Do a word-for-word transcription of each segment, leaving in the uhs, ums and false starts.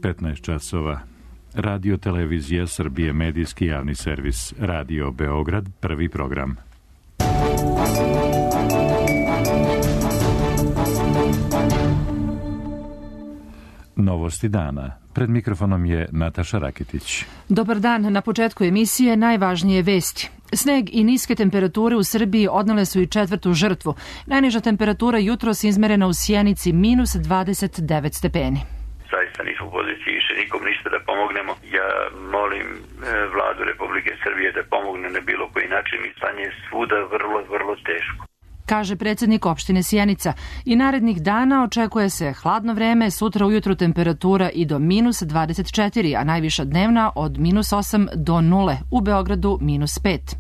petnaest časova. Radio Televizija Srbije, medijski javni servis, Radio Beograd, prvi program. Novosti dana. Pred mikrofonom je Nataša Raketić. Dobar dan. Na početku emisije najvažnije vesti. Sneg i niske temperature u Srbiji odnele su i četvrtu žrtvu. Najniža temperatura jutros izmerena u Sjenici minus dvadeset devet stepeni. Zaista nismo u poziciji više nikom ništa da pomognemo. Ja molim vladu Republike Srbije da pomogne na bilo koji način i stanje je svuda vrlo, vrlo teško. Kaže predsjednik opštine Sjenica. I narednih dana očekuje se hladno vreme, sutra ujutru temperatura i do minus dvadeset četiri, a najviša dnevna od minus osam do nule, u Beogradu minus pet.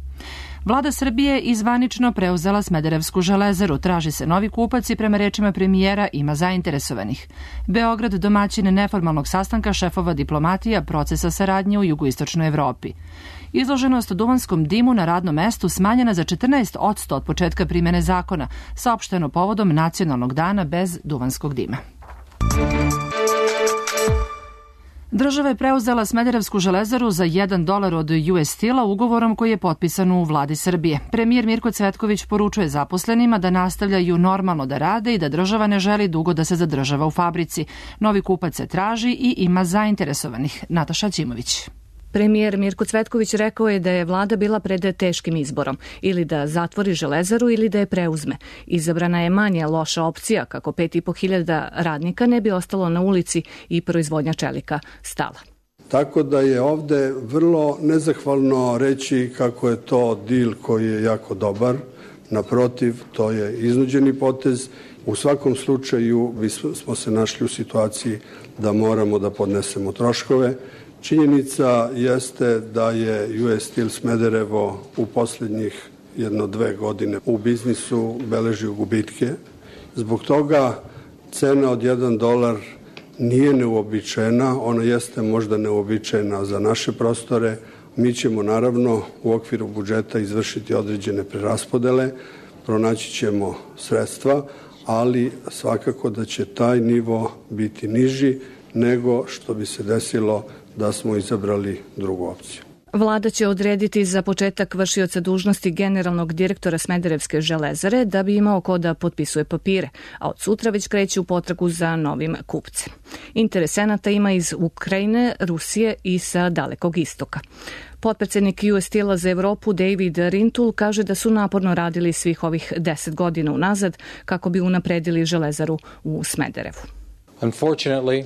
Vlada Srbije izvanično preuzela Smederevsku železaru. Traži se novi kupac i prema rečima premijera ima zainteresovanih. Beograd domaćin neformalnog sastanka šefova diplomatija procesa saradnje u jugoistočnoj Evropi. Izloženost duvanskom dimu na radnom mestu smanjena za četrnaest posto od početka primene zakona, saopšteno povodom Nacionalnog dana bez duvanskog dima. Država je preuzela Smederevsku železaru za jedan dolar od U S Steel-a ugovorom koji je potpisan u vladi Srbije. Premijer Mirko Cvetković poručuje zaposlenima da nastavljaju normalno da rade i da država ne želi dugo da se zadržava u fabrici. Novi kupac se traži i ima zainteresovanih. Nataša Ćimović. Premijer Mirko Cvetković rekao je da je vlada bila pred teškim izborom, ili da zatvori železaru ili da je preuzme. Izabrana je manje loša opcija kako pet i po hiljada radnika ne bi ostalo na ulici i proizvodnja čelika stala. Tako da je ovde vrlo nezahvalno reći kako je to dil koji je jako dobar. Naprotiv, to je iznuđeni potez. U svakom slučaju smo se našli u situaciji da moramo da podnesemo troškove. Činjenica jeste da je U S Steel Smederevo u posljednjih jedno dve godine u biznisu beleži gubitke. Zbog toga cena od jedan dolar nije neuobičajena, ona jeste možda neuobičajena za naše prostore. Mi ćemo naravno u okviru budžeta izvršiti određene preraspodele, pronaći ćemo sredstva, ali svakako da će taj nivo biti niži nego što bi se desilo da smo izabrali drugu opciju. Vlada će odrediti za početak vršioca dužnosti generalnog direktora Smederevske železare da bi imao ko da potpisuje papire, a od sutra već kreće u potragu za novim kupcem. Interesenata ima iz Ukrajine, Rusije i sa Dalekog istoka. Potpredsednik U S Steel-a za Evropu David Rintoul kaže da su naporno radili svih ovih deset godina unazad kako bi unapredili železaru u Smederevu. Unfortunately,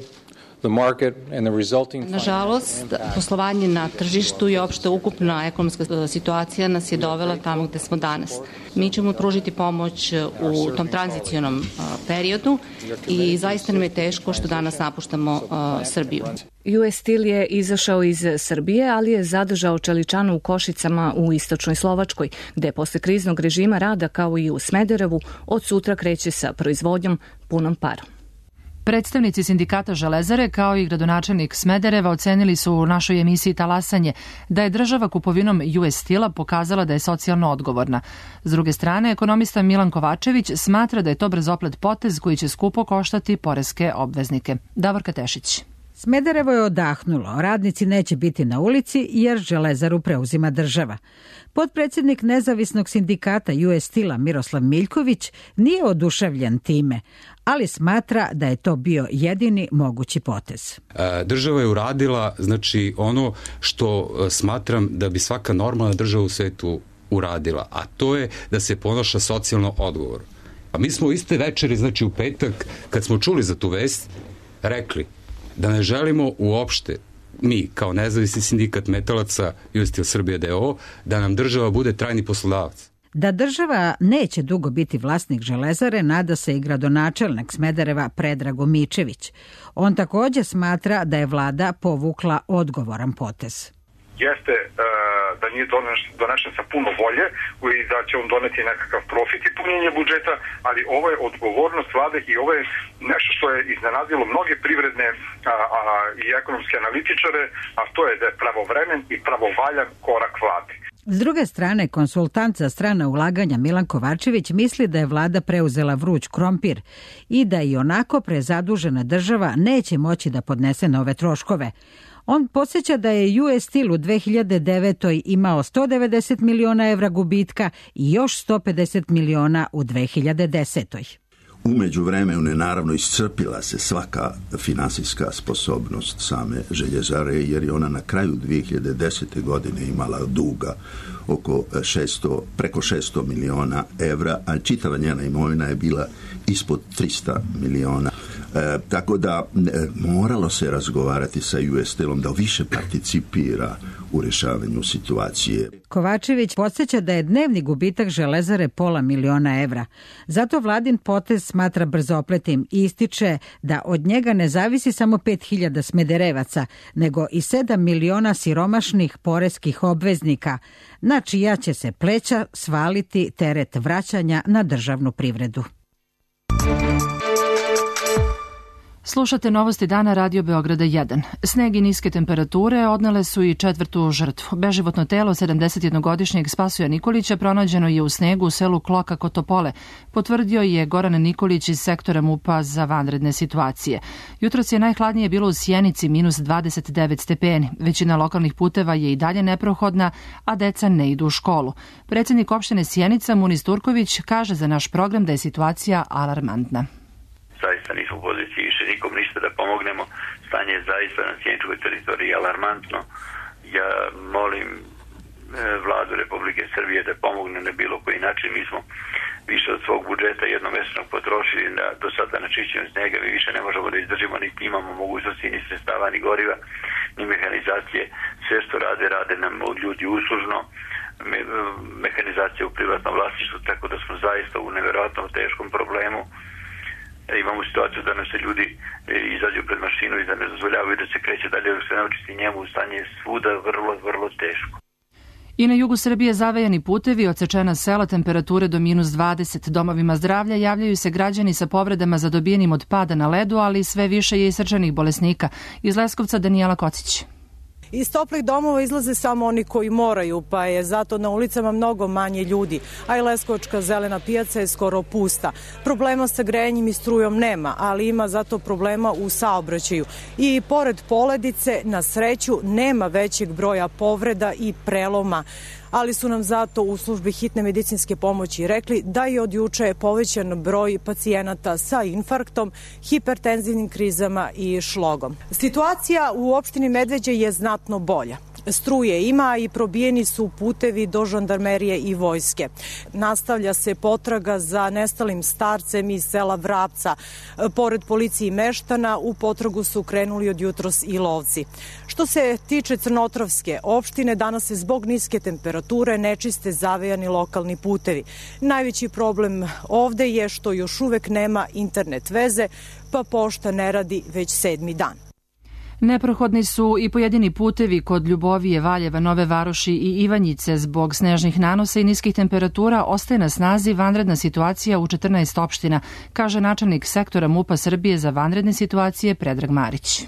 Nažalost, poslovanje na tržištu i opšta ukupna ekonomska situacija nas je dovela tamo gde smo danas. Mi ćemo pružiti pomoć u tom tranzicionom periodu i zaista nam je teško što danas napuštamo Srbiju. U S Steel je izašao iz Srbije, ali je zadržao čeličanu u Košicama u istočnoj Slovačkoj, gde posle kriznog režima rada kao i u Smederevu od sutra kreće sa proizvodnjom punom parom. Predstavnici sindikata Železare kao i gradonačelnik Smedereva ocenili su u našoj emisiji Talasanje da je država kupovinom U S Steel-a pokazala da je socijalno odgovorna. S druge strane, ekonomista Milan Kovačević smatra da je to brzoplet potez koji će skupo koštati poreske obveznike. Davorka Tešić. Smederevo je odahnulo, radnici neće biti na ulici jer železaru preuzima država. Potpredsjednik nezavisnog sindikata U S Steel-a Miroslav Miljković nije oduševljen time, ali smatra da je to bio jedini mogući potez. Država je uradila znači ono što smatram da bi svaka normalna država u svetu uradila, a to je da se ponaša socijalno odgovorno. A mi smo iste večeri, znači u petak, kad smo čuli za tu vest, rekli da ne želimo uopšte, mi kao nezavisni sindikat metalaca U S Steel Srbije D O O, da nam država bude trajni poslodavac. Da država neće dugo biti vlasnik železare, nada se i gradonačelnik Smedereva Predrago Mičević. On također smatra da je vlada povukla odgovoran potez. Jeste da nije donešen sa puno volje i da će on doneti nekakav profit i punjenje budžeta, ali ovo je odgovornost vlade i ovo je nešto što je iznenadilo mnoge privredne a, a, i ekonomske analitičare, a to je da je pravovremen i pravovaljan korak vlade. S druge strane, konsultant za strana ulaganja Milan Kovačević misli da je vlada preuzela vruć krompir i da i onako prezadužena država neće moći da podnese nove troškove. On podsjeća da je U S Steel u dve hiljade devetoj imao sto devedeset miliona evra gubitka i još sto pedeset miliona u dve hiljade desetoj. U međuvremenu je naravno iscrpila se svaka finansijska sposobnost same željezare, jer je ona na kraju dve hiljade desete. godine imala duga oko šesto, preko šesto miliona evra, a čitava njena imovina je bila ispod tristo miliona. E, tako da e, moralo se razgovarati sa U S Steelom da više participira u rješavanju situacije. Kovačević podsjeća da je dnevni gubitak železare pola miliona evra. Zato vladin potez smatra brzopletim i ističe da od njega ne zavisi samo pet hiljada smederevaca, nego i sedam miliona siromašnih poreskih obveznika, na čija će se pleća svaliti teret vraćanja na državnu privredu. Slušate novosti dana Radio Beograda jedan. Sneg i niske temperature odnele su i četvrtu žrtvu. Beživotno telo sedamdesetjednogodišnjeg Spasoja Nikolića pronađeno je u snegu u selu Kloka kod Topole, potvrdio je Goran Nikolić iz sektora MUP-a za vanredne situacije. Jutros je najhladnije bilo u Sjenici, minus dvadeset devet stepeni. Većina lokalnih puteva je i dalje neprohodna, a deca ne idu u školu. Predsjednik opštine Sjenica, Munis Turković, kaže za naš program da je situacija alarmantna. Zaista nismo u poziciji više nikom ništa da pomognemo. Stanje je zaista na sjeničkoj teritoriji alarmantno. Ja molim e, vladu Republike Srbije da pomogne na bilo koji način. Mi smo više od svog budžeta jednomesečnog potrošili na, do sada na čišćenju snega. Mi više ne možemo da izdržimo, niti imamo mogućnosti ni sredstava, ni goriva, ni mehanizacije. Sve što rade, rade nam ljudi uslužno. Me, mehanizacija u privatnom vlasništvu, tako da smo zaista u nevjerojatno teškom problemu. Imamo situaciju da nam se ljudi izađu pred mašinu i da ne dozvoljavaju da se kreće dalje, dok se ne očisti njemu, stanje je svuda vrlo, vrlo teško. I na jugu Srbije zavejani putevi, odsečena sela, temperature do minus dvadeset. Domovima zdravlja javljaju se građani sa povredama zadobijenim od pada na ledu, ali sve više je i srčanih bolesnika. Iz Leskovca Danijela Kocić. Iz toplih domova izlaze samo oni koji moraju, pa je zato na ulicama mnogo manje ljudi, a i Leskovačka zelena pijaca je skoro pusta. Problema sa grejanjem i strujom nema, ali ima zato problema u saobraćaju. I pored poledice, na sreću, nema većeg broja povreda i preloma. Ali su nam zato u službi hitne medicinske pomoći rekli da je od juče povećan broj pacijenata sa infarktom, hipertenzivnim krizama i šlogom. Situacija u opštini Medveđa je znatno bolja. Struje ima i probijeni su putevi do žandarmerije i vojske. Nastavlja se potraga za nestalim starcem iz sela Vrapca. Pored policije i meštana, u potragu su krenuli od jutros i lovci. Što se tiče Crnotravske opštine, danas se zbog niske temperature nečiste zavejani lokalni putevi. Najveći problem ovde je što još uvek nema internet veze, pa pošta ne radi već sedmi dan. Neprohodni su i pojedini putevi kod Ljubovije, Valjeva, Nove Varoši i Ivanjice. Zbog snežnih nanosa i niskih temperatura ostaje na snazi vanredna situacija u četrnaest opština, kaže načelnik sektora MUP-a Srbije za vanredne situacije Predrag Marić.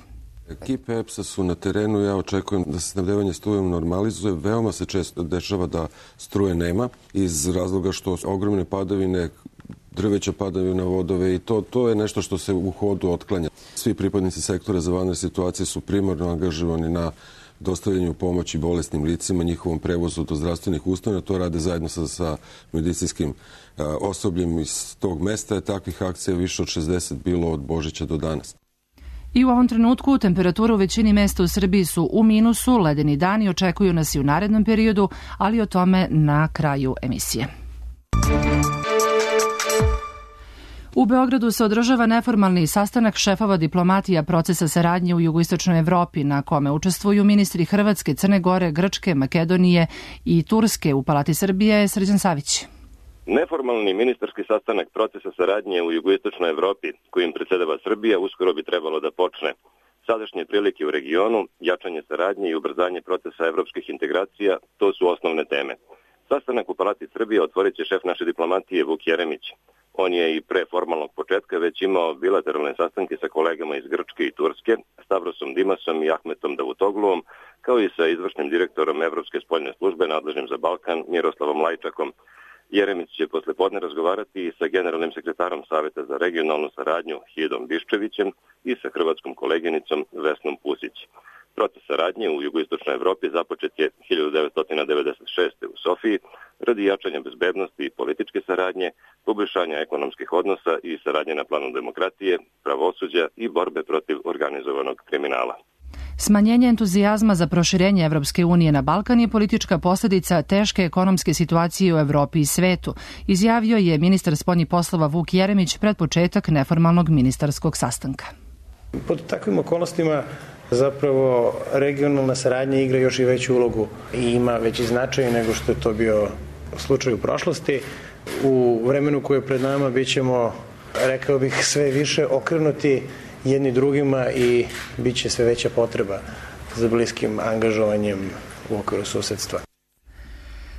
Ekipe E P S-a su na terenu, ja očekujem da se snabdevanje strujom normalizuje. Veoma se često dešava da struje nema iz razloga što ogromne padavine, drveća padaju na vodove i to, to je nešto što se u hodu otklanja. Svi pripadnici sektora za vanredne situacije su primarno angažovani na dostavljanju pomoći bolesnim licima, njihovom prevozu do zdravstvenih ustanova. To rade zajedno sa, sa medicinskim a, osobljem iz tog mesta. Je takvih akcija više od šezdeset bilo od Božića do danas. I u ovom trenutku temperature u većini mesta u Srbiji su u minusu, ledeni dani očekuju nas i u narednom periodu, ali o tome na kraju emisije. U Beogradu se održava neformalni sastanak šefova diplomatija procesa saradnje u jugoistočnoj Evropi, na kome učestvuju ministri Hrvatske, Crne Gore, Grčke, Makedonije i Turske. U Palati Srbije Srđan Savić. Neformalni ministarski sastanak procesa saradnje u jugoistočnoj Evropi, kojim predsjedava Srbija, uskoro bi trebalo da počne. Sadašnje prilike u regionu, jačanje saradnje i ubrzanje procesa evropskih integracija, to su osnovne teme. Sastanak u Palati Srbije otvorit će šef naše diplomatije Vuk Jeremić. On je i pre formalnog početka već imao bilateralne sastanke sa kolegama iz Grčke i Turske, Stavrosom Dimasom i Ahmetom Davutogluom, kao i sa izvršnim direktorom Evropske spoljne službe nadležnim za Balkan Miroslavom Lajčakom. Jeremić će posle podne razgovarati i sa generalnim sekretarom Saveta za regionalnu saradnju Hidom Biščevićem i sa hrvatskom koleginicom Vesnom Pusić. Proces saradnje u jugoistočnoj Evropi započet je hiljadu devetsto devedeset šeste. u Sofiji radi jačanja bezbednosti i političke saradnje, poboljšanja ekonomskih odnosa i saradnje na planu demokratije, pravosuđa i borbe protiv organizovanog kriminala. Smanjenje entuzijazma za proširenje Evropske unije na Balkan je politička posljedica teške ekonomske situacije u Evropi i svetu, izjavio je ministar spoljnih poslova Vuk Jeremić pred početak neformalnog ministarskog sastanka. Pod takvim okolnostima zapravo regionalna saradnja igra još i veću ulogu i ima veći značaj nego što je to bio slučaj u prošlosti. U vremenu koje je pred nama bit ćemo, rekao bih, sve više okrenuti jedni drugima i bit će sve veća potreba za bliskim angažovanjem u okviru susedstva.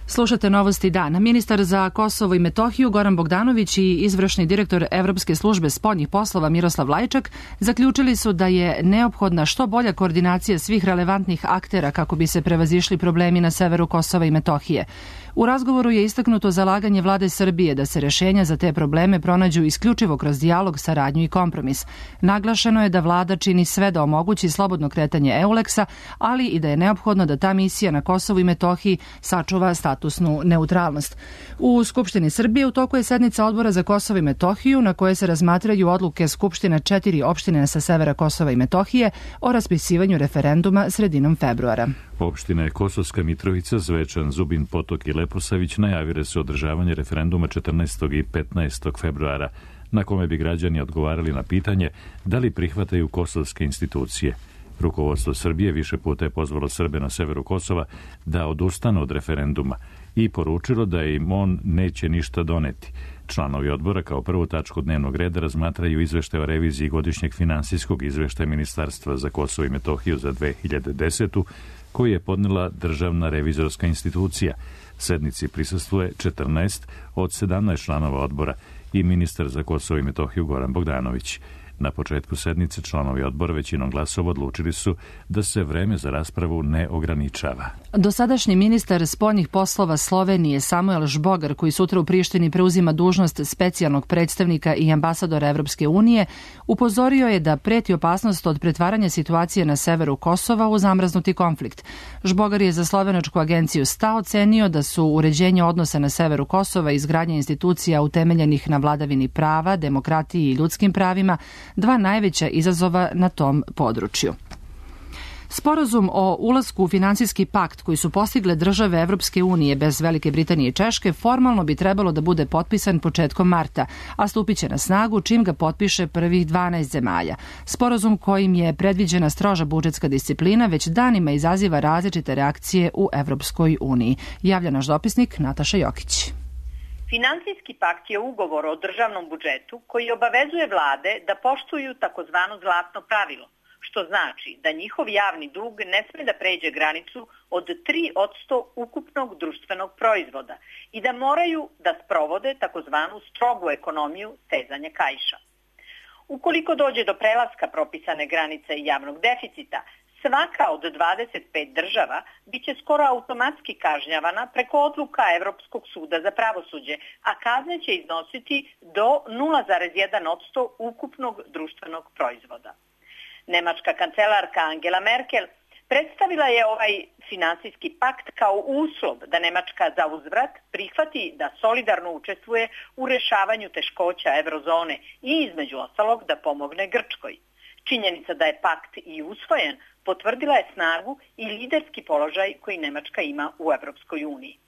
Slušate Novosti dana. Ministar za Kosovo i Metohiju Goran Bogdanović i izvršni direktor Evropske službe spoljnih poslova Miroslav Lajčak zaključili su da je neophodna što bolja koordinacija svih relevantnih aktera kako bi se prevazišli problemi na severu Kosova i Metohije. U razgovoru je istaknuto zalaganje vlade Srbije da se rešenja za te probleme pronađu isključivo kroz dijalog, saradnju i kompromis. Naglašeno je da vlada čini sve da omogući slobodno kretanje EULEX-a, ali i da je neophodno da ta misija na Kosovu i Metohiji sačuva statusnu neutralnost. U Skupštini Srbije u toku je sednica Odbora za Kosovo i Metohiju na koje se razmatraju odluke Skupština četiri opštine sa severa Kosova i Metohije o raspisivanju referenduma sredinom februara. Opštine Kosovska Mitrovica, Zvečan, Zubin Potok i Leposavić najavile su održavanje referenduma četrnaestog i petnaestog februara, na kome bi građani odgovarali na pitanje da li prihvataju kosovske institucije. Rukovodstvo Srbije više puta je pozvalo Srbe na severu Kosova da odustanu od referenduma i poručilo da im on neće ništa doneti. Članovi odbora kao prvu tačku dnevnog reda razmatraju izveštaj o reviziji godišnjeg finansijskog izveštaja Ministarstva za Kosovo i Metohiju za dve hiljade desetu. koji je podnela državna revizorska institucija. Sednici prisustvuje četrnaest od sedamnaest članova odbora i ministar za Kosovo i Metohiju Goran Bogdanović. Na početku sednice članovi odbora većinom glasova odlučili su da se vreme za raspravu ne ograničava. Dosadašnji ministar spoljnih poslova Slovenije Samuel Žbogar, koji sutra u Prištini preuzima dužnost specijalnog predstavnika i ambasadora Evropske unije, upozorio je da preti opasnost od pretvaranja situacije na severu Kosova u zamrznuti konflikt. Žbogar je za slovenačku agenciju S T A ocenio da su uređenje odnosa na severu Kosova i izgradnja institucija utemeljenih na vladavini prava, demokratiji i ljudskim pravima dva najveća izazova na tom području. Sporazum o ulasku u finansijski pakt koji su postigle države Evropske unije bez Velike Britanije i Češke formalno bi trebalo da bude potpisan početkom marta, a stupit će na snagu čim ga potpiše prvih dvanaest zemalja. Sporazum kojim je predviđena stroža budžetska disciplina već danima izaziva različite reakcije u Evropskoj uniji. Javlja naš dopisnik Nataša Jokić. Finansijski pakt je ugovor o državnom budžetu koji obavezuje vlade da poštuju takozvano zlatno pravilo, što znači da njihov javni dug ne sme da pređe granicu od tri posto ukupnog društvenog proizvoda i da moraju da sprovode takozvanu strogu ekonomiju stezanja kaiša. Ukoliko dođe do prelaska propisane granice javnog deficita, svaka od dvadeset pet država biće skoro automatski kažnjavana preko odluka Evropskog suda za pravosuđe, a kazne će iznositi do nula zarez jedan posto ukupnog društvenog proizvoda. Nemačka kancelarka Angela Merkel predstavila je ovaj finansijski pakt kao uslov da Nemačka za uzvrat prihvati da solidarno učestvuje u rešavanju teškoća eurozone i između ostalog da pomogne Grčkoj. Činjenica da je pakt i usvojen potvrdila je snagu i liderski položaj koji Nemačka ima u Evropskoj uniji.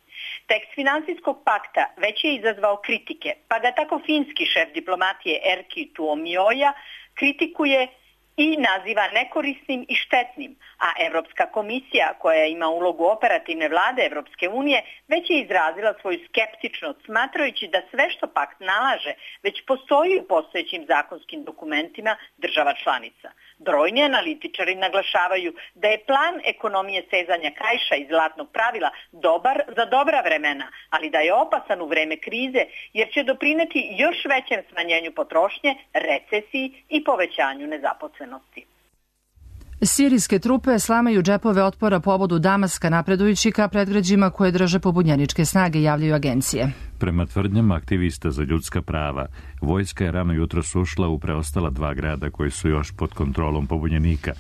Tekst finansijskog pakta već je izazvao kritike, pa ga tako finski šef diplomatije Erkki Tuomioja kritikuje i naziva nekorisnim i štetnim, a Evropska komisija, koja ima ulogu operativne vlade Evropske unije, već je izrazila svoju skeptičnost, smatrajući da sve što pakt nalaže već postoji u postojećim zakonskim dokumentima država članica. Brojni analitičari naglašavaju da je plan ekonomije sezanja kaiša i zlatnog pravila dobar za dobra vremena, ali da je opasan u vreme krize jer će doprineti još većem smanjenju potrošnje, recesiji i povećanju nezaposlenosti. Sirijske trupe slamaju džepove otpora povodu Damaska napredujući ka predgrađima koje drže pobunjeničke snage, javljaju agencije. Prema tvrdnjama aktivista za ljudska prava, vojska je rano jutros ušla u preostala dva grada koji su još pod kontrolom pobunjenika.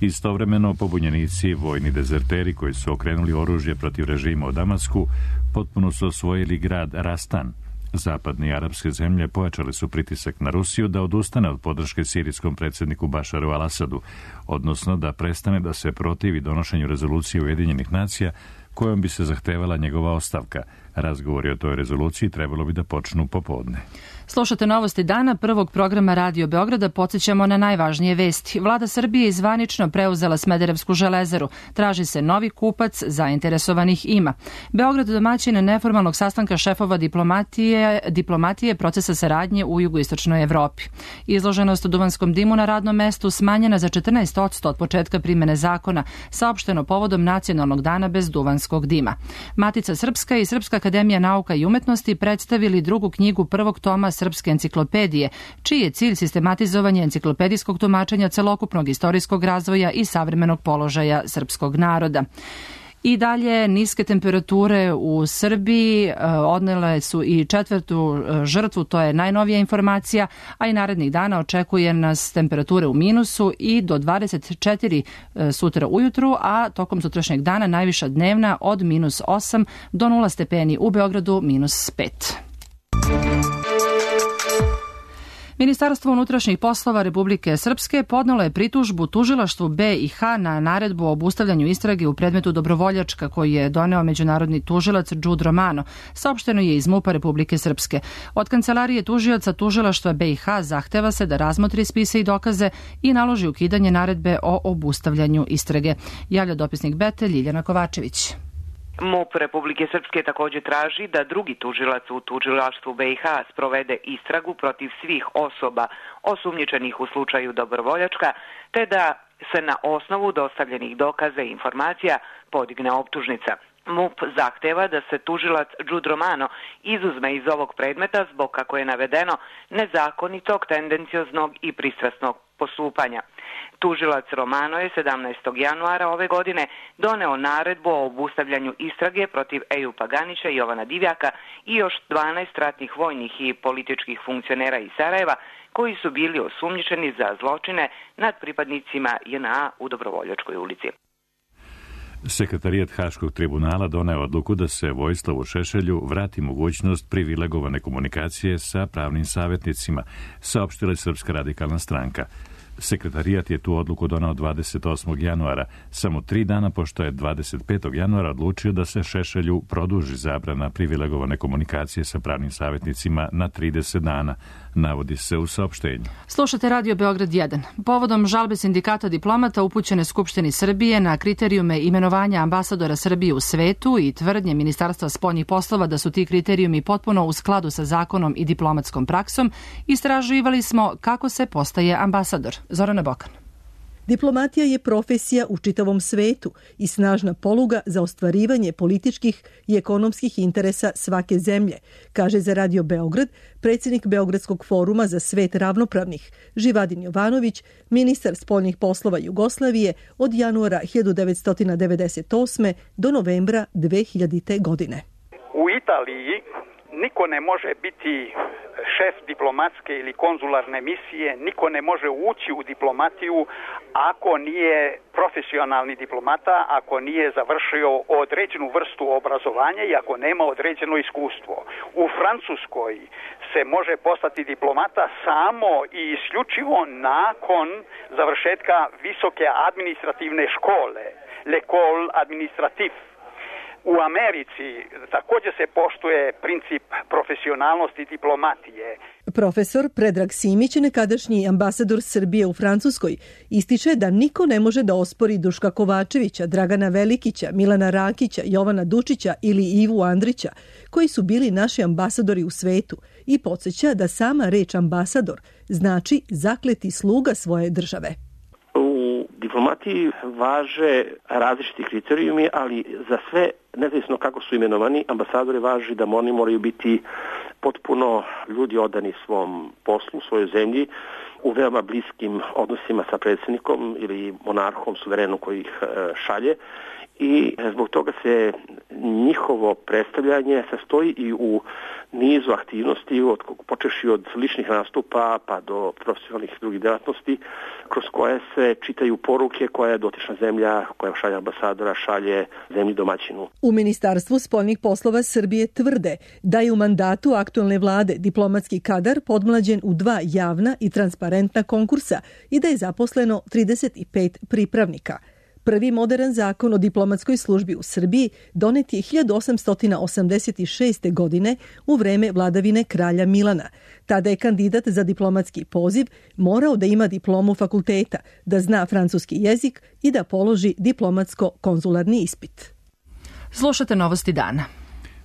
Istovremeno, pobunjenici, vojni dezerteri koji su okrenuli oružje protiv režima u Damasku, potpuno su osvojili grad Rastan. Zapadne i arapske zemlje pojačali su pritisak na Rusiju da odustane od podrške sirijskom predsjedniku Bašaru al-Asadu, odnosno da prestane da se protivi donošenju rezolucije Ujedinjenih nacija kojom bi se zahtevala njegova ostavka. Razgovori o toj rezoluciji trebalo bi da počnu popodne. Slušate novosti dana prvog programa Radio Beograda, podsjećamo na najvažnije vesti. Vlada Srbije je zvanično preuzela Smederevsku železaru. Traži se novi kupac, zainteresovanih ima. Beograd domaćin neformalnog sastanka šefova diplomatije, diplomatije procesa saradnje u jugoistočnoj Evropi. Izloženost u duvanskom dimu na radnom mestu smanjena za četrnaest posto od početka primene zakona, saopšteno povodom Nacionalnog dana bez duvanskog dima. Matica Srpska i Srpska akademija nauka i umetnosti predstavili drugu knjigu prvog toma Srpske enciklopedije, čiji je cilj sistematizovanje enciklopedijskog tumačenja celokupnog istorijskog razvoja i savremenog položaja srpskog naroda. I dalje niske temperature u Srbiji odnele su i četvrtu žrtvu, to je najnovija informacija, a i narednih dana očekuje nas temperature u minusu i do dvadeset četiri sutra ujutru, a tokom sutrašnjeg dana najviša dnevna od minus osam do nula stepeni, u Beogradu minus pet. Ministarstvo unutrašnjih poslova Republike Srpske podnelo je pritužbu tužilaštvu B i H na naredbu o obustavljanju istrage u predmetu Dobrovoljačka koji je doneo međunarodni tužilac Đud Romano, saopšteno je iz MUP-a Republike Srpske. Od kancelarije tužioca tužilaštva B i H zahteva se da razmotri spise i dokaze i naloži ukidanje naredbe o obustavljanju istrage. Javlja dopisnik Bete Ljiljana Kovačević. MUP Republike Srpske također traži da drugi tužilac u tužilaštvu B i H sprovede istragu protiv svih osoba osumnjičenih u slučaju Dobrovoljačka, te da se na osnovu dostavljenih dokaza i informacija podigne optužnica. MUP zahteva da se tužilac Đud Romano izuzme iz ovog predmeta zbog, kako je navedeno, nezakonitog, tendencioznog i pristrasnog postupanja. Tužilac Romano je sedamnaestog januara ove godine doneo naredbu o obustavljanju istrage protiv Ejupa Ganića, Jovana Divjaka i još dvanaest ratnih vojnih i političkih funkcionera iz Sarajeva koji su bili osumnjičeni za zločine nad pripadnicima J N A u Dobrovoljačkoj ulici. Sekretarijat Haškog tribunala doneo odluku da se Vojislavu Šešelju vrati mogućnost privilegovane komunikacije sa pravnim savjetnicima, saopštila je Srpska radikalna stranka. Sekretarijat je tu odluku donao dvadeset osmog januara, samo tri dana pošto je dvadeset petog januara odlučio da se Šešelju produži zabrana privilegovane komunikacije sa pravnim savjetnicima na trideset dana, navodi se u saopštenju. Slušate Radio Beograd jedan. Povodom žalbe sindikata diplomata upućene Skupštini Srbije na kriterijume imenovanja ambasadora Srbije u svetu i tvrdnje Ministarstva spoljnih poslova da su ti kriterijumi potpuno u skladu sa zakonom i diplomatskom praksom, istraživali smo kako se postaje ambasador. Zorana Bokan. Diplomatija je profesija u čitavom svetu i snažna poluga za ostvarivanje političkih i ekonomskih interesa svake zemlje, kaže za Radio Beograd predsjednik Beogradskog foruma za svet ravnopravnih Živadin Jovanović, ministar spoljnih poslova Jugoslavije od januara hiljadu devetsto devedeset osme do novembra dve hiljadite. godine. U Italiji niko ne može biti šef diplomatske ili konzularne misije, niko ne može ući u diplomatiju ako nije profesionalni diplomata, ako nije završio određenu vrstu obrazovanja i ako nema određeno iskustvo. U Francuskoj se može postati diplomata samo i isključivo nakon završetka visoke administrativne škole, l'école administrative. U Americi takođe se poštuje princip profesionalnosti diplomatije. Profesor Predrag Simić, nekadašnji ambasador Srbije u Francuskoj, ističe da niko ne može da ospori Duška Kovačevića, Dragana Velikića, Milana Rakića, Jovana Dučića ili Ivu Andrića, koji su bili naši ambasadori u svetu, i podsjeća da sama reč ambasador znači zakleti sluga svoje države. U diplomatiji važe različiti kriterijumi, ali za sve, nezavisno kako su imenovani, ambasadori važi da oni moraju biti potpuno ljudi odani svom poslu, svojoj zemlji, u veoma bliskim odnosima sa predsjednikom ili monarhom, suverenom koji ih šalje, i zbog toga se njihovo predstavljanje sastoji i u nizu aktivnosti, od, počeši od ličnih nastupa pa do profesionalnih drugih delatnosti, kroz koje se čitaju poruke koje dotična zemlja, koja šalje ambasadora, šalje zemlji domaćinu. U Ministarstvu spoljnih poslova Srbije tvrde da je u mandatu aktualne vlade diplomatski kadar podmlađen u dva javna i transparentna konkursa i da je zaposleno trideset pet pripravnika. Prvi modern zakon o diplomatskoj službi u Srbiji donet je hiljadu osamsto osamdeset šeste. godine u vreme vladavine kralja Milana. Tada je kandidat za diplomatski poziv morao da ima diplomu fakulteta, da zna francuski jezik i da položi diplomatsko-konzularni ispit. Slušate Novosti dana.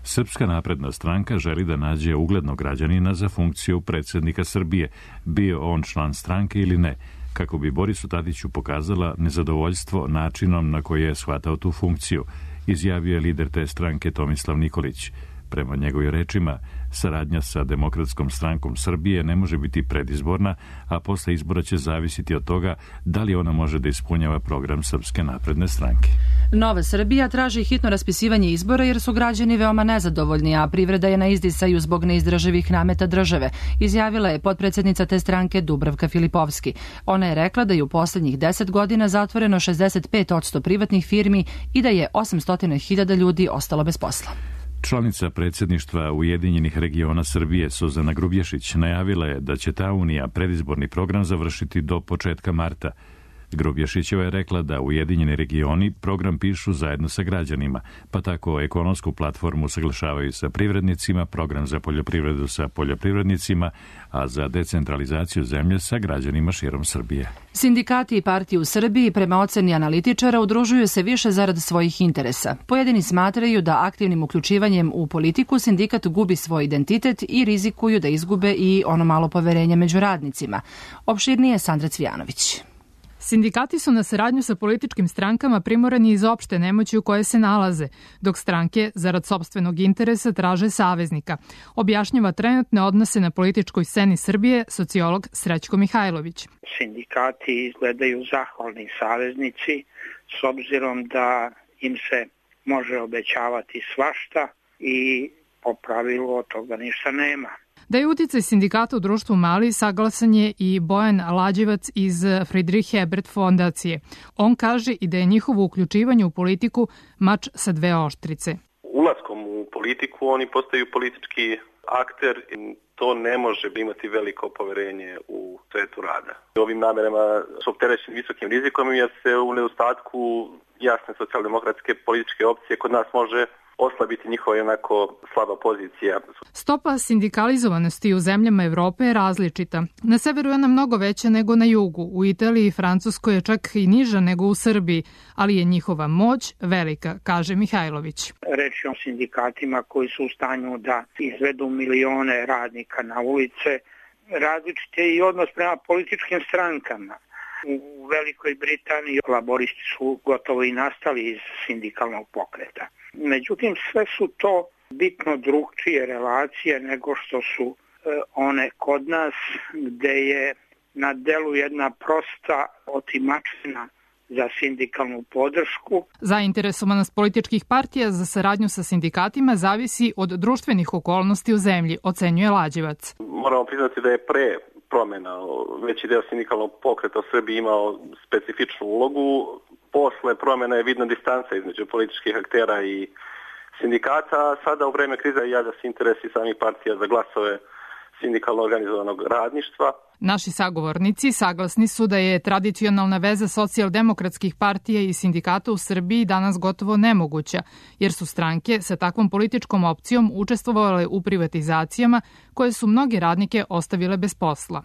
Srpska napredna stranka želi da nađe uglednog građanina za funkciju predsjednika Srbije, bio on član stranke ili ne, kako bi Borisu Tadiću pokazala nezadovoljstvo načinom na koji je shvatao tu funkciju, izjavio je lider te stranke Tomislav Nikolić. Prema njegovim rečima, saradnja sa Demokratskom strankom Srbije ne može biti predizborna, a posle izbora će zavisiti od toga da li ona može da ispunjava program Srpske napredne stranke. Nova Srbija traži hitno raspisivanje izbora jer su građani veoma nezadovoljni, a privreda je na izdisaju zbog neizdrživih nameta države, izjavila je potpredsjednica te stranke Dubravka Filipovski. Ona je rekla da je u poslednjih deset godina zatvoreno šezdeset pet posto privatnih firmi i da je osamsto hiljada ljudi ostalo bez posla. Članica predsjedništva Ujedinjenih regiona Srbije Suzana Grubješić najavila je da će ta unija predizborni program završiti do početka marta. Grubješićeva je rekla da Ujedinjeni regioni program pišu zajedno sa građanima, pa tako ekonomsku platformu saglašavaju sa privrednicima, program za poljoprivredu sa poljoprivrednicima, a za decentralizaciju zemlje sa građanima širom Srbije. Sindikati i partije u Srbiji prema oceni analitičara udružuju se više zarad svojih interesa. Pojedini smatraju da aktivnim uključivanjem u politiku sindikat gubi svoj identitet i rizikuju da izgube i ono malo poverenja među radnicima. Opširnije Sandra Cvijanović. Sindikati su na saradnju sa političkim strankama primorani iz opšte nemoći u koje se nalaze, dok stranke, zarad sopstvenog interesa, traže saveznika. Objašnjava trenutne odnose na političkoj sceni Srbije sociolog Srećko Mihajlović. Sindikati izgledaju zahvalni saveznici s obzirom da im se može obećavati svašta i po pravilu od toga ništa nema. Da je uticaj sindikata u društvu mali, saglasan je i Bojan Lađevac iz Friedrich Ebert fondacije. On kaže i da je njihovo uključivanje u politiku mač sa dve oštrice. Ulaskom u politiku oni postaju politički akter i to ne može imati veliko poverenje u svetu rada. Ovim namerama su opterećeni visokim rizikom jer se u nedostatku jasne socijaldemokratske političke opcije kod nas može oslabiti njihova onako slaba pozicija. Stopa sindikalizovanosti u zemljama Evrope je različita. Na severu je ona mnogo veća nego na jugu. U Italiji i Francuskoj je čak i niža nego u Srbiji, ali je njihova moć velika, kaže Mihajlović. Reč je o sindikatima koji su u stanju da izvedu milione radnika na ulice. Različite i odnos prema političkim strankama. U Velikoj Britaniji laboristi su gotovo i nastali iz sindikalnog pokreta. Međutim, sve su to bitno drugčije relacije nego što su one kod nas, gde je na delu jedna prosta otimačina za sindikalnu podršku. Zainteresovanost političkih partija za saradnju sa sindikatima zavisi od društvenih okolnosti u zemlji, ocenjuje Lađevac. Moramo priznati da je pre promjena veći deo sindikalnog pokreta u Srbiji imao specifičnu ulogu. Posle promjena je vidna distanca između političkih aktera i sindikata, a sada u vreme krize javlja se interesi samih partija za glasove sindikalno organizovanog radništva. Naši sagovornici saglasni su da je tradicionalna veza socijaldemokratskih partija i sindikata u Srbiji danas gotovo nemoguća, jer su stranke sa takvom političkom opcijom učestvovale u privatizacijama koje su mnoge radnike ostavile bez posla.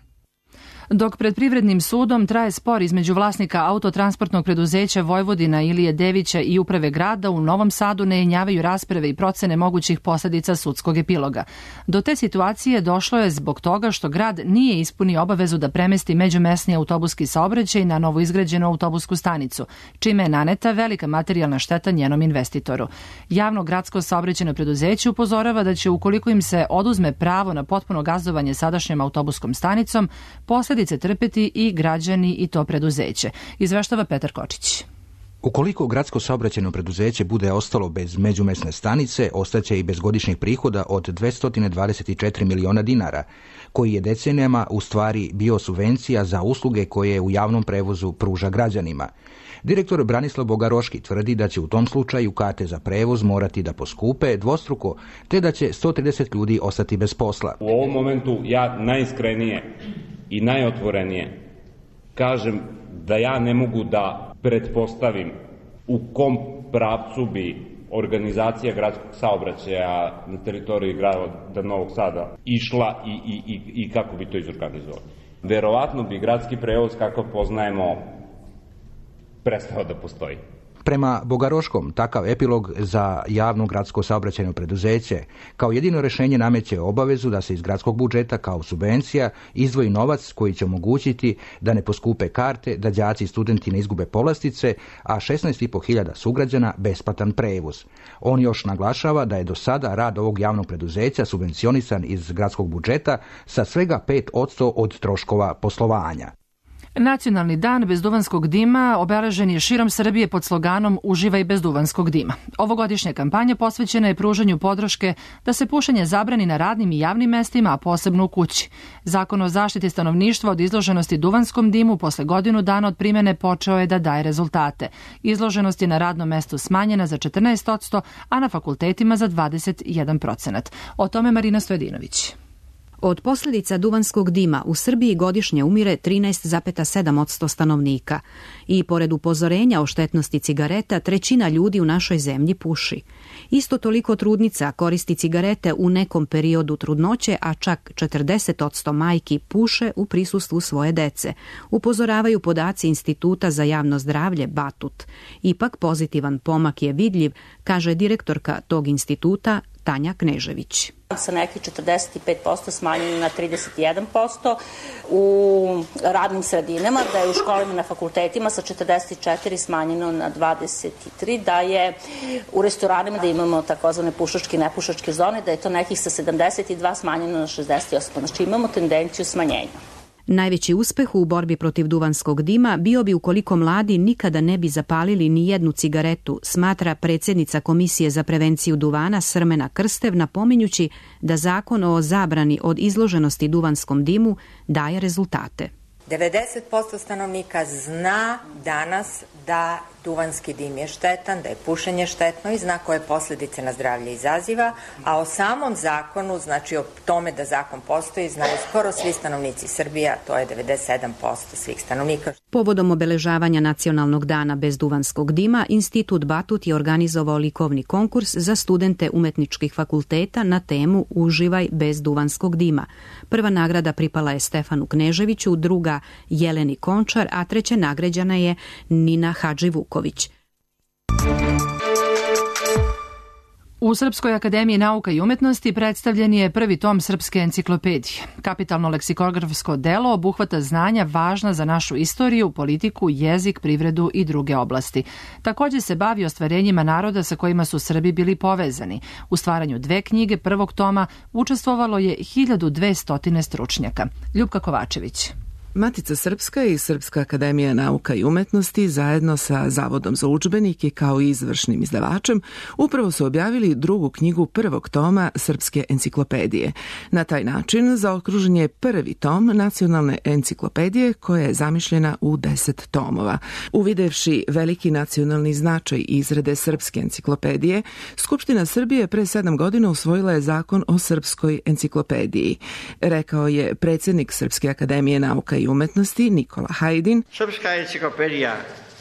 Dok pred Privrednim sudom traje spor između vlasnika autotransportnog preduzeća Vojvodina Ilije Devića i uprave grada, u Novom Sadu ne jenjavaju rasprave i procene mogućih posledica sudskog epiloga. Do te situacije došlo je zbog toga što grad nije ispunio obavezu da premesti međumesni autobuski saobraćaj na novoizgrađenu autobusku stanicu, čime je naneta velika materijalna šteta njenom investitoru. Javno gradsko saobraćajno preduzeće upozorava da će, ukoliko im se oduzme pravo na potpuno gazdovanje sadašnjom autobuskom stanicom, posledice trpeti i građani i to preduzeće. Izveštava Petar Kočić. Ukoliko gradsko saobraćajno preduzeće bude ostalo bez međumesne stanice, ostaće i bez godišnjih prihoda od dvesta dvadeset četiri miliona dinara, koji je decenijama u stvari bio subvencija za usluge koje u javnom prevozu pruža građanima. Direktor Branislav Bogaroški tvrdi da će u tom slučaju karte za prevoz morati da poskupe dvostruko, te da će sto trideset ljudi ostati bez posla. U ovom momentu ja najiskrenije i najotvorenije kažem da ja ne mogu da pretpostavim u kom pravcu bi organizacija gradskog saobraćaja na teritoriji grada Novog Sada išla i, i, i, i kako bi to izorganizovali. Verovatno bi gradski prevoz kakav poznajemo prestao da postoji. Prema Bogaroškom, takav epilog za javno gradsko saobraćajno preduzeće kao jedino rešenje nameće obavezu da se iz gradskog budžeta kao subvencija izdvoji novac koji će omogućiti da ne poskupe karte, da đaci i studenti ne izgube povlastice, a šesnaest i po hiljada sugrađana besplatan prevoz. On još naglašava da je do sada rad ovog javnog preduzeća subvencionisan iz gradskog budžeta sa svega pet posto od troškova poslovanja. Nacionalni dan bez duvanskog dima obeležen je širom Srbije pod sloganom Uživaj bez duvanskog dima. Ovogodišnja kampanja posvećena je pružanju podrške da se pušenje zabrani na radnim i javnim mestima, a posebno u kući. Zakon o zaštiti stanovništva od izloženosti duvanskom dimu posle godinu dana od primene počeo je da daje rezultate. Izloženost je na radnom mestu smanjena za četrnaest posto, a na fakultetima za dvadeset jedan procenat. O tome Marina Stojedinović. Od posljedica duvanskog dima u Srbiji godišnje umire trinaest zarez sedam posto stanovnika i pored upozorenja o štetnosti cigareta, trećina ljudi u našoj zemlji puši. Isto toliko trudnica koristi cigarete u nekom periodu trudnoće, a čak četrdeset posto majki puše u prisustvu svoje dece, upozoravaju podaci Instituta za javno zdravlje Batut. Ipak pozitivan pomak je vidljiv, kaže direktorka tog instituta Tanja Knežević. Sa nekih četrdeset pet posto smanjeno na trideset jedan posto u radnim sredinama, da je u školama na fakultetima sa četrdeset četiri smanjeno na dvadeset tri, da je u restoranima da imamo takozvane pušačke i nepušačke zone, da je to nekih sa sedamdeset dva smanjeno na šezdeset osam. Znači imamo tendenciju smanjenja. Najveći uspeh u borbi protiv duvanskog dima bio bi ukoliko mladi nikada ne bi zapalili ni jednu cigaretu, smatra predsjednica Komisije za prevenciju duvana Srmena Krstev, napominjući da zakon o zabrani od izloženosti duvanskom dimu daje rezultate. devedeset posto stanovnika zna danas da duvanski dim je štetan, da je pušenje štetno i zna koje posljedice na zdravlje izaziva, a o samom zakonu, znači o tome da zakon postoji, znaju skoro svi stanovnici Srbije, to je devedeset sedam posto svih stanovnika. Povodom obeležavanja Nacionalnog dana bez duvanskog dima, Institut Batut je organizovao likovni konkurs za studente umetničkih fakulteta na temu Uživaj bez duvanskog dima. Prva nagrada pripala je Stefanu Kneževiću, druga Jeleni Končar, a treća nagrađena je Nina Hadživuković. U Srpskoj akademiji nauka i umetnosti predstavljen je prvi tom srpske enciklopedije. Kapitalno leksikografsko delo obuhvata znanja važna za našu istoriju, politiku, jezik, privredu i druge oblasti. Također se bavi ostvarenjima naroda sa kojima su Srbi bili povezani. U stvaranju dve knjige prvog toma učestvovalo je hiljadu dvesta stručnjaka. Ljupka Kovačević. Matica Srpska i Srpska akademija nauka i umetnosti zajedno sa Zavodom za udžbenike kao i izvršnim izdavačem upravo su objavili drugu knjigu prvog toma Srpske enciklopedije. Na taj način zaokružen je prvi tom nacionalne enciklopedije koja je zamišljena u deset tomova. Uvidevši veliki nacionalni značaj izrade Srpske enciklopedije, Skupština Srbije pre sedam godina usvojila je zakon o Srpskoj enciklopediji. Rekao je predsjednik Srpske akademije nauka i umetnosti Nikola Hajdin. Srpska enciklopedija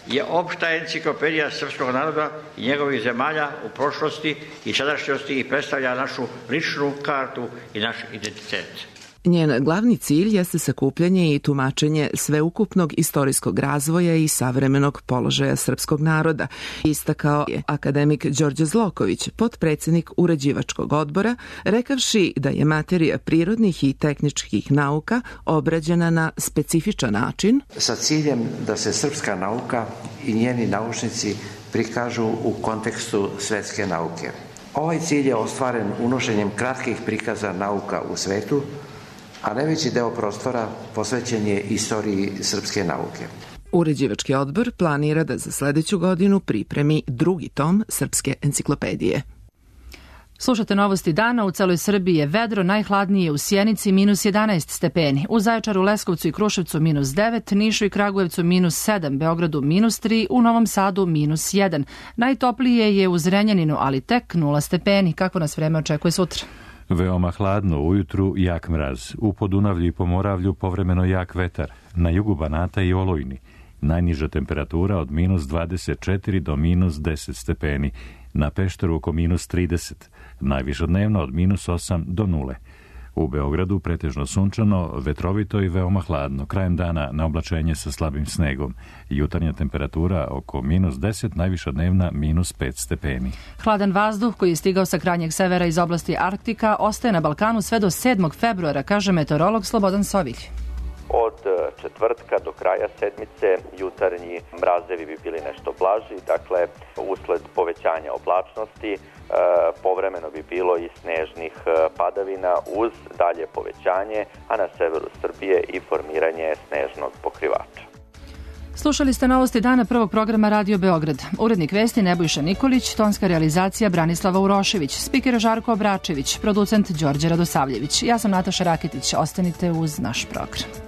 je opšta enciklopedija srpskog naroda i njegovih zemalja u prošlosti i sadašnjosti i predstavlja našu ličnu kartu i naš identitet. Njen glavni cilj jeste sakupljanje i tumačenje sveukupnog istorijskog razvoja i savremenog položaja srpskog naroda, istakao je akademik Đorđe Zloković, potpredsjednik uređivačkog odbora, rekavši da je materija prirodnih i tehničkih nauka obrađena na specifičan način, sa ciljem da se srpska nauka i njeni naučnici prikažu u kontekstu svetske nauke. Ovaj cilj je ostvaren unošenjem kratkih prikaza nauka u svetu, a najveći deo prostora posvećen je istoriji srpske nauke. Uređivački odbor planira da za sledeću godinu pripremi drugi tom Srpske enciklopedije. Slušate novosti dana. U celoj Srbiji je vedro, najhladnije u Sjenici minus jedanaest stepeni, u Zaječaru, Leskovcu i Kruševcu minus devet, Nišu i Kragujevcu minus sedam, Beogradu minus tri, u Novom Sadu minus jedan. Najtoplije je u Zrenjaninu, ali tek nula stepeni. Kako nas vreme očekuje sutra? Veoma hladno, ujutru jak mraz, u Podunavlju i Pomoravlju povremeno jak vetar, na jugu Banata i Olujni. Najniža temperatura od minus dvadeset četiri do minus deset stepeni, na Pešteru oko minus trideset, najviša dnevno od minus osam do nule. U Beogradu pretežno sunčano, vetrovito i veoma hladno, krajem dana na oblačenje sa slabim snegom. Jutarnja temperatura oko minus deset, najviša dnevna minus pet stepeni. Hladan vazduh koji je stigao sa krajnjeg severa iz oblasti Arktika ostaje na Balkanu sve do sedmog februara, kaže meteorolog Slobodan Sovilj. Od četvrtka do kraja sedmice jutarnji mrazevi bi bili nešto blaži, dakle usled povećanja oblačnosti e, povremeno bi bilo i snežnih padavina uz dalje povećanje, a na severu Srbije i formiranje snežnog pokrivača. Slušali ste novosti dana prvog programa Radio Beograd. Urednik vesti Nebojša Nikolić, tonska realizacija Branislava Urošević, spiker Žarko Obračević, producent Đorđe Radosavljević. Ja sam Nataša Raketić. Ostanite uz naš program.